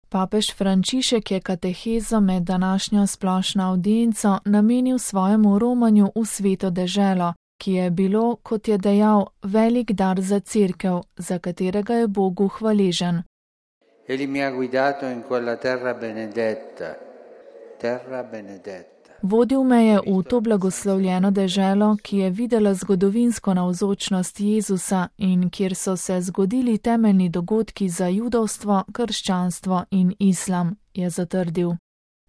Papež Frančišek je katehezo med današnjo splošno avdienco namenil svojemu romanju v Sveto deželo, ki je bilo, kot je dejal, velik dar za Cerkev, za katerega je Bogu hvaležen. Egli mi ha guidato in quella terra benedetta. Vodil me je v to blagoslovljeno deželo, ki je videla zgodovinsko navzočnost Jezusa in kjer so se zgodili temeljni dogodki za judovstvo, krščanstvo in islam, je zatrdil.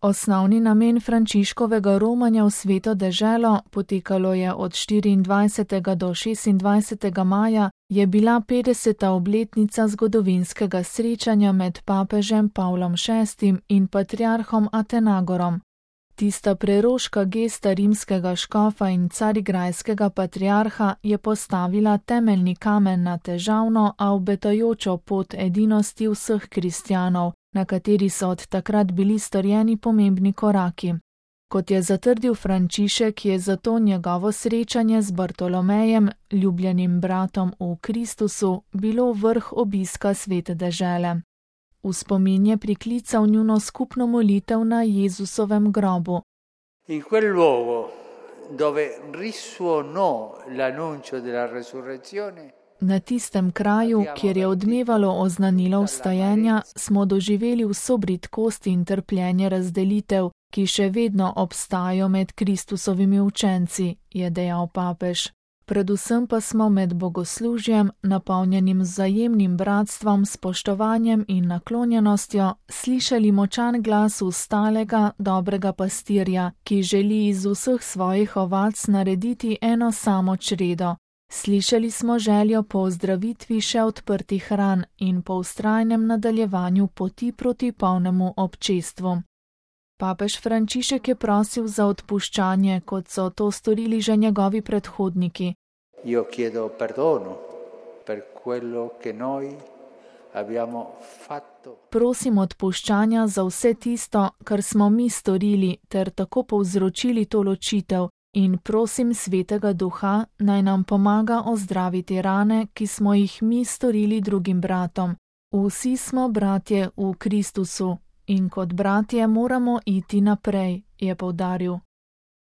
Osnovni namen Frančiškovega romanja v Sveto deželo, potekalo je od 24. do 26. maja, je bila 50. obletnica zgodovinskega srečanja med papežem Pavlom VI in patriarhom Atenagorom. Tista preroška gesta rimskega škofa in carigrajskega patriarha je postavila temeljni kamen na težavno, a obetajočo pot edinosti vseh kristjanov, na kateri so od takrat bili storjeni pomembni koraki. Kot je zatrdil Frančišek, je zato njegovo srečanje z Bartolomejem, ljubljenim bratom v Kristusu, bilo vrh obiska Svete dežele. V spomin je priklical njuno skupno molitev na Jezusovem grobu. In quel luogo dove risuonò l'annuncio della resurrezione. Na tistem kraju, kjer je odmevalo oznanilo vstajenja, smo doživeli vso bridkost in trpljenje razdelitev, ki še vedno obstajajo med Kristusovimi učenci, je dejal papež. Predvsem pa smo med bogoslužjem, napolnjenim vzajemnim bratstvom, spoštovanjem in naklonjenostjo, slišali močan glas ustalega, dobrega pastirja, ki želi iz vseh svojih ovac narediti eno samo čredo. Slišali smo željo po ozdravitvi še odprtih ran in po vztrajnem nadaljevanju poti proti polnemu občestvu. Papež Frančišek je prosil za odpuščanje, kot so to storili že njegovi predhodniki. Io chiedo perdono per quello che noi abbiamo fatto. Prosim odpuščanja za vse tisto, kar smo mi storili, ter tako povzročili to ločitev, in prosim Svetega Duha, naj nam pomaga ozdraviti rane, ki smo jih mi storili drugim bratom. Vsi smo bratje v Kristusu. In kot bratje moramo iti naprej, je poudaril.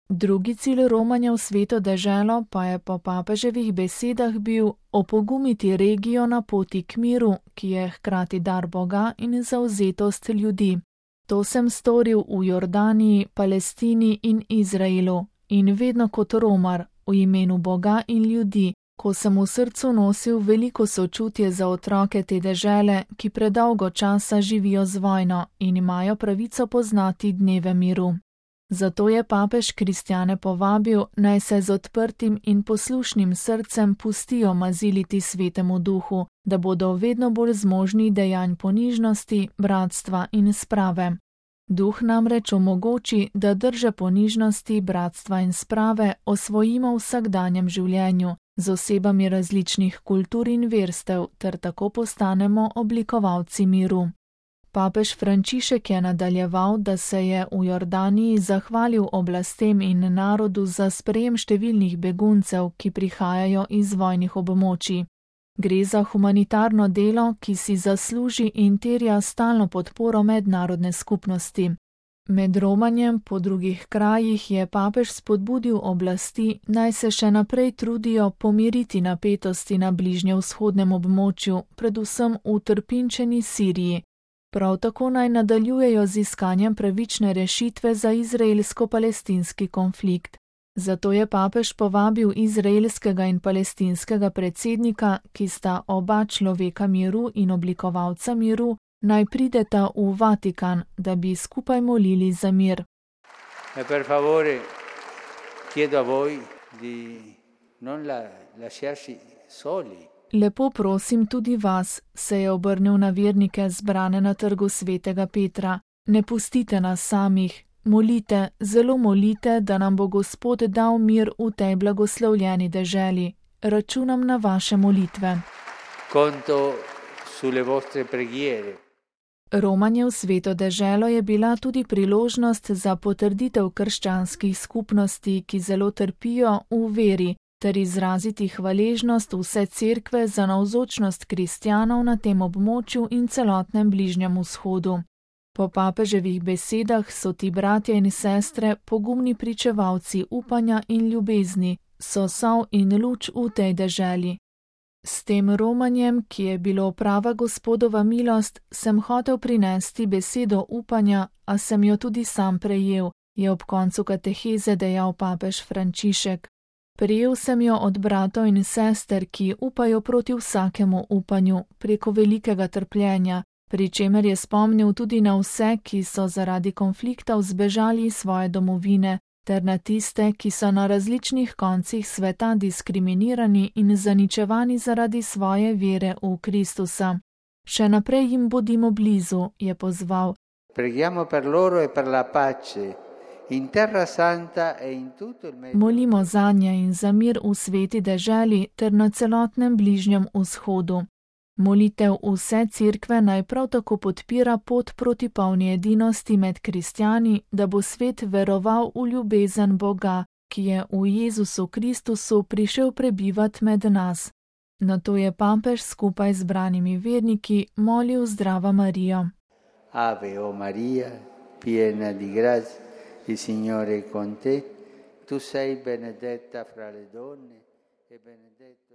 Drugi cilj romanja v Sveto deželo pa je po papeževih besedah bil opogumiti regijo na poti k miru, ki je hkrati dar Boga in zavzetost ljudi. To sem storil v Jordaniji, Palestini in Izraelu in vedno kot romar, v imenu Boga in ljudi, ko sem v srcu nosil veliko sočutje za otroke te dežele, ki predolgo časa živijo z vojno in imajo pravico poznati dneve miru. Zato je papež kristjane povabil, naj se z odprtim in poslušnim srcem pustijo maziliti Svetemu Duhu, da bodo vedno bolj zmožni dejanj ponižnosti, bratstva in sprave. Duh namreč omogoči, da drže ponižnosti, bratstva in sprave osvojimo v vsakdanjem življenju, z osebami različnih kultur in verstev, ter tako postanemo oblikovalci miru. Papež Frančišek je nadaljeval, da se je v Jordaniji zahvalil oblastem in narodu za sprejem številnih beguncev, ki prihajajo iz vojnih območij. Gre za humanitarno delo, ki si zasluži in terja stalno podporo mednarodne skupnosti. Med romanjem po drugih krajih je papež spodbudil oblasti, naj se še naprej trudijo pomiriti napetosti na bližnjevzhodnem območju, predvsem v trpinčeni Siriji. Prav tako naj nadaljujejo z iskanjem pravične rešitve za izraelsko-palestinski konflikt. Zato je papež povabil izraelskega in palestinskega predsednika, ki sta oba človeka miru in oblikovalca miru, naj prideta v Vatikan, da bi skupaj molili za mir. Per favore, chiedo a voi di non lasciarsi soli. Lepo prosim tudi vas, se je obrnil na vernike zbrane na trgu Svetega Petra. Ne pustite nas samih. Molite, zelo molite, da nam bo Gospod dal mir v tej blagoslovljeni deželi. Računam na vaše molitve. Conto sulle vostre preghiere. Romanje v Sveto deželo je bila tudi priložnost za potrditev krščanskih skupnosti, ki zelo trpijo v veri, ter izraziti hvaležnost vse cerkve za navzočnost kristjanov na tem območju in celotnem Bližnjem vzhodu. Po papeževih besedah so ti bratje in sestre pogumni pričevalci upanja in ljubezni, so sol in luč v tej deželi. S tem romanjem, ki je bilo prava Gospodova milost, sem hotel prinesti besedo upanja, a sem jo tudi sam prejel, je ob koncu kateheze dejal papež Frančišek. Prejel sem jo od bratov in sester, ki upajo proti vsakemu upanju, preko velikega trpljenja, pri čemer je spomnil tudi na vse, ki so zaradi konfliktov zbežali iz svoje domovine, ter na tiste, ki so na različnih koncih sveta diskriminirani in zaničevani zaradi svoje vere v Kristusa. Še naprej jim bodimo blizu, je pozval. Preghiamo per loro e per la pace. In Terra Santa e in tutto il Medio. Molimo zanje in za mir v sveti deželi ter na celotnem Bližnjem vzhodu. Molitev vse cerkve naj prav tako podpira pot proti polni edinosti med kristjani, da bo svet veroval v ljubezen Boga, ki je v Jezusu Kristusu prišel prebivat med nas. Nato je papež skupaj z branimi verniki molil Zdrava Marijo. Ave o Maria, piena di grazia, il Signore è con te, tu sei benedetta fra le donne e benedetto